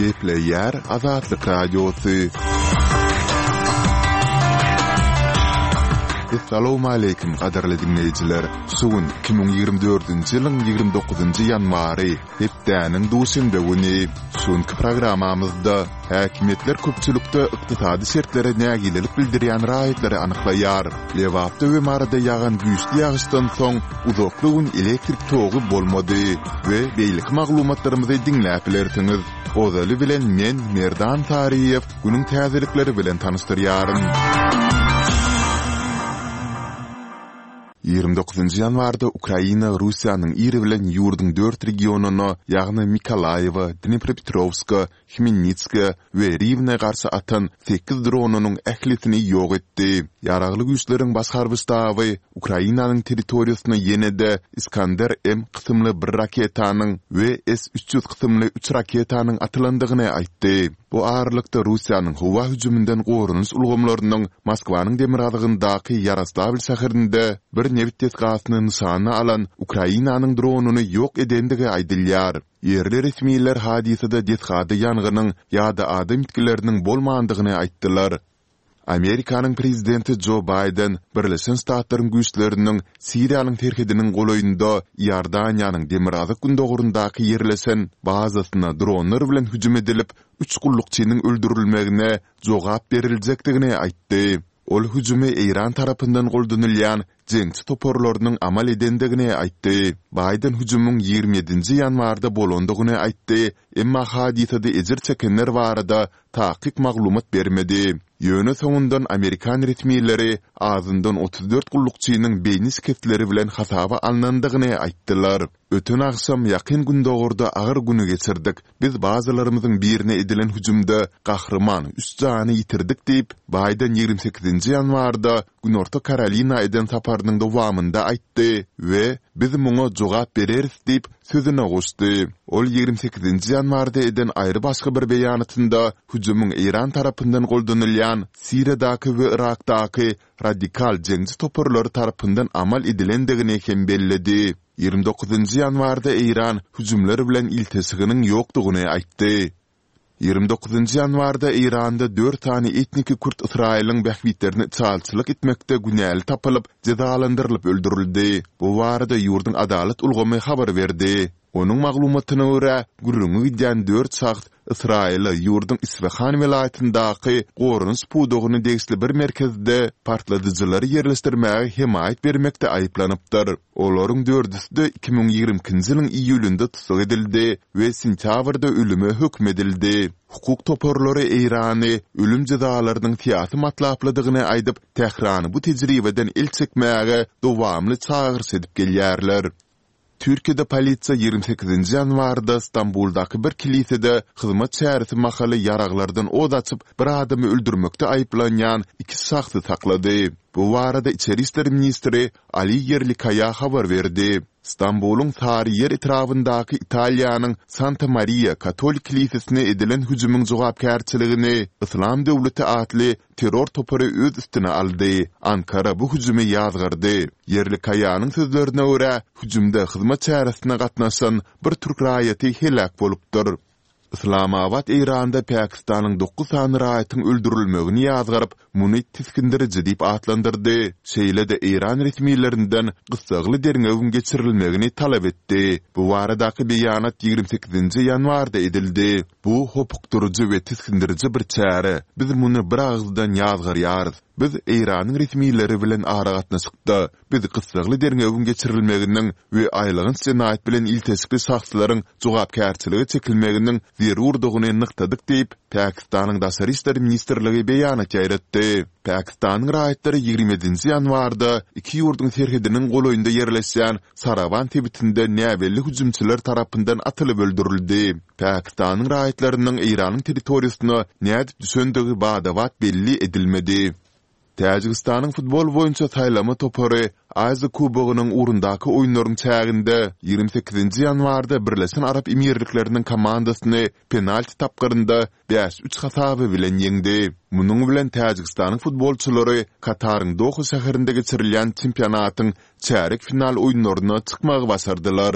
Gepleýär Azatlyk Radiosy. Essalawmaleýkim gadyrly diňleýjiler! Şu gün 2024-nji ýylyň 29-njy ýanwary, hepdäniň duşenbe güni. Şu günki programmamyzda häkimiýetler köpçülikde ykdysady şertlere nägilelik bildirýän raýatlary anyklaýar. Lebapda we Maryda ýagan güýçli ýagyşdan soň uzakly gün elektrik togy bolmady we beýleki maglumatlarymyzy diňläp bilersiňiz. Ozaly bilen men, Merdan Saryýew, günüň täzelikleri bilen tanyşdyrýaryn. 29-njy ýanwarda Ukraina Russiýanyň ir bilen ýurduň dört regionyna, ýagny Mykolaýiwa, Dnepropetrowska, Hmelnitska we Riwne garşy atan sekiz dronynyň ählisini ýok etdi. Ýaragly Güýçleriň Baş harby ştaby Ukrainanyň territoriýasyna ýene-de Iskander-M kysymly bir raketanyň we S 300 kysymly üç raketanyň atylandygyny aýtdy. Bu aralykda Russiýanyň howa hüjüminden goranyş ulgamlarynyň Moskwanyň demirgazygyndaky Ýaroslawl şäherinde bir nebit desgasyny nyşana alan Ukrainanyň dronyny ýok edendigi aýdylýar. Ýerli resmiler hadysada desgada ýangynyň ýa-da adam ýitgileriniň bolmandygyny aýtdylar. Amerikanyň prezidenti Jo Baýden Birleşen Ştatlaryň güýçleriniň Siriýanyň serhediniň golaýynda Iordaniýanyň demirgazyk-gündogaryndaky ýerleşen bazasyna dronlar bilen hüjüm edilip, üç gullukçynyň öldürilmegine jogap beriljekdigini aýtdy. Ol hüjümi Eýran tarapyndan goldanylýan jeňçi toparlarynyň amal edendigini aýtdy. Baýden hüjümiň 27-nji ýanwarda bolandygyny aýtdy, emma hadysada ejir çekenler barada takyk maglumat bermedi. Ýöne soňundan amerikan resmileri azyndan 34 gullukçynyň beýni şikesleri bilen hasaba alnandygyny aýtdylar. Öten agşam Ýakyn Gündogarda agyr güni geçirdik. Biz bazalarymyzyň birine edilen hüjümde gahryman üç jany ýitirdik diýip, Baýden 28-nji ýanwarda Günorta Karolina eden saparynyň dowamynda aýtdy we Biz muňa jogap bereris diýip, sözüne goşdy. Ol 28-nji ýanwarda eden aýry-başga bir beýanatynda hüjümiň Eýran tarapyndan goldanylýan Siriýadaky we Yrakdaky radikal jeňçi toparlary tarapyndan amal edilendigini hem belledi. 29-njy ýanwarda Eýran hüjümler bilen ilteşiginiň ýokdugyny aýtdy. 29-njy ýanwarda Eýranda dört sany etniki kürt Ysraýylyň bähbitlerine içalyçylyk etmekde günäli tapylyp, jezalandyrylyp öldürildi. Bu barada ýurduň adalat ulgamy habar berdi. Onuň maglumatyna görä, gürrüňi gidýän dört şahs Ysraýyla ýurduň Isfahan welaýatyndaky goranyş pudagyna degişli bir merkezde partladyjylary ýerleşdirmäge hemaýat bermekde aýyplanypdyr. Olaryň dördüsi-de 2022-nji ýylyň iýulynda tussag edildi we sentýabrda ölüme höküm edildi. Hukuk toparlary Eýrany ölüm jezalarynyň syýasy matlaplydygyny aýdyp, Tährany bu tejribeden el çekmäge dowamly çagyryş edip gelýärler. Türkiýede polisiýa 28-nji ýanwarda Stambuldaky bir kilisede hyzmat çäresi mahaly ýaraglardan ot açyp, bir adamy öldürmekde aýyplanýan iki şahsy saklady. Bu barada içeri işler ministri Ali Ýerlikaýa habar berdi. Stambulyň Saryýer etrabyndaky Italiýanyň Santa Mariýa katolik kilisesine edilen hüjümiň jogapkärçiligini Yslam döwleti atly terror topary öz üstüne aldy. Ankara bu hüjümi ýazgardy. Ýerlikaýanyň sözlerine görä, hüjümde hyzmat çäresine gatnaşan bir türk raýaty heläk bolupdyr. Yslamabat Eýranda Pakistanyň dokuz sany raýatyň öldürilmegini ýazgaryp, muny tisgindiriji diýip atlandyrdy, şeýle-de eýran resmilerinden gyssagly derňewiň geçirilmegini talap etdi. Bu baradaky beýanat 28-nji ýanwarda edildi. Bu hopukdyryjy we tisgindiriji bir çäre. Biz muny biragyzdan ýazgarýarys. Biz Eýranyň resmileri bilen aragatnaşykda. Biz gyssagly derňewiň geçirilmeginiň we aýylganç jenaýat bilen ilteşikli şahslaryň jogapkärçilige çekilmeginiň zerurdygyny nygtadyk diýip, Pakistanyň Daşary işler ministrligi beýanat ýaýratdy. Pakistanyň raýatlary 27-nji ýanwarda iki ýurduň serhediniň golaýynda ýerleşýän Sarawan sebitinde näbelli hüjümçiler tarapyndan atylyp öldürildi. Pakistanyň raýatlarynyň Eýranyň territoriýasyna nädip düşendigi bada-bat belli edilmedi. Täjigistanyň futbol boýunça saýlama topary Aziýa Kubogynyň ugrundaky oýunlaryň çäginde 28-nji ýanwarda Birleşen Arap Emirlikleriniň komandasyny penalti tapgyrynda bäş-üç hasaby bilen ýeňdi. Munuň bilen Täjigistanyň futbolçylary Kataryň Doha şäherinde geçirilýän çempionatyň çärýek final oýunlaryna çykmagy başardylar.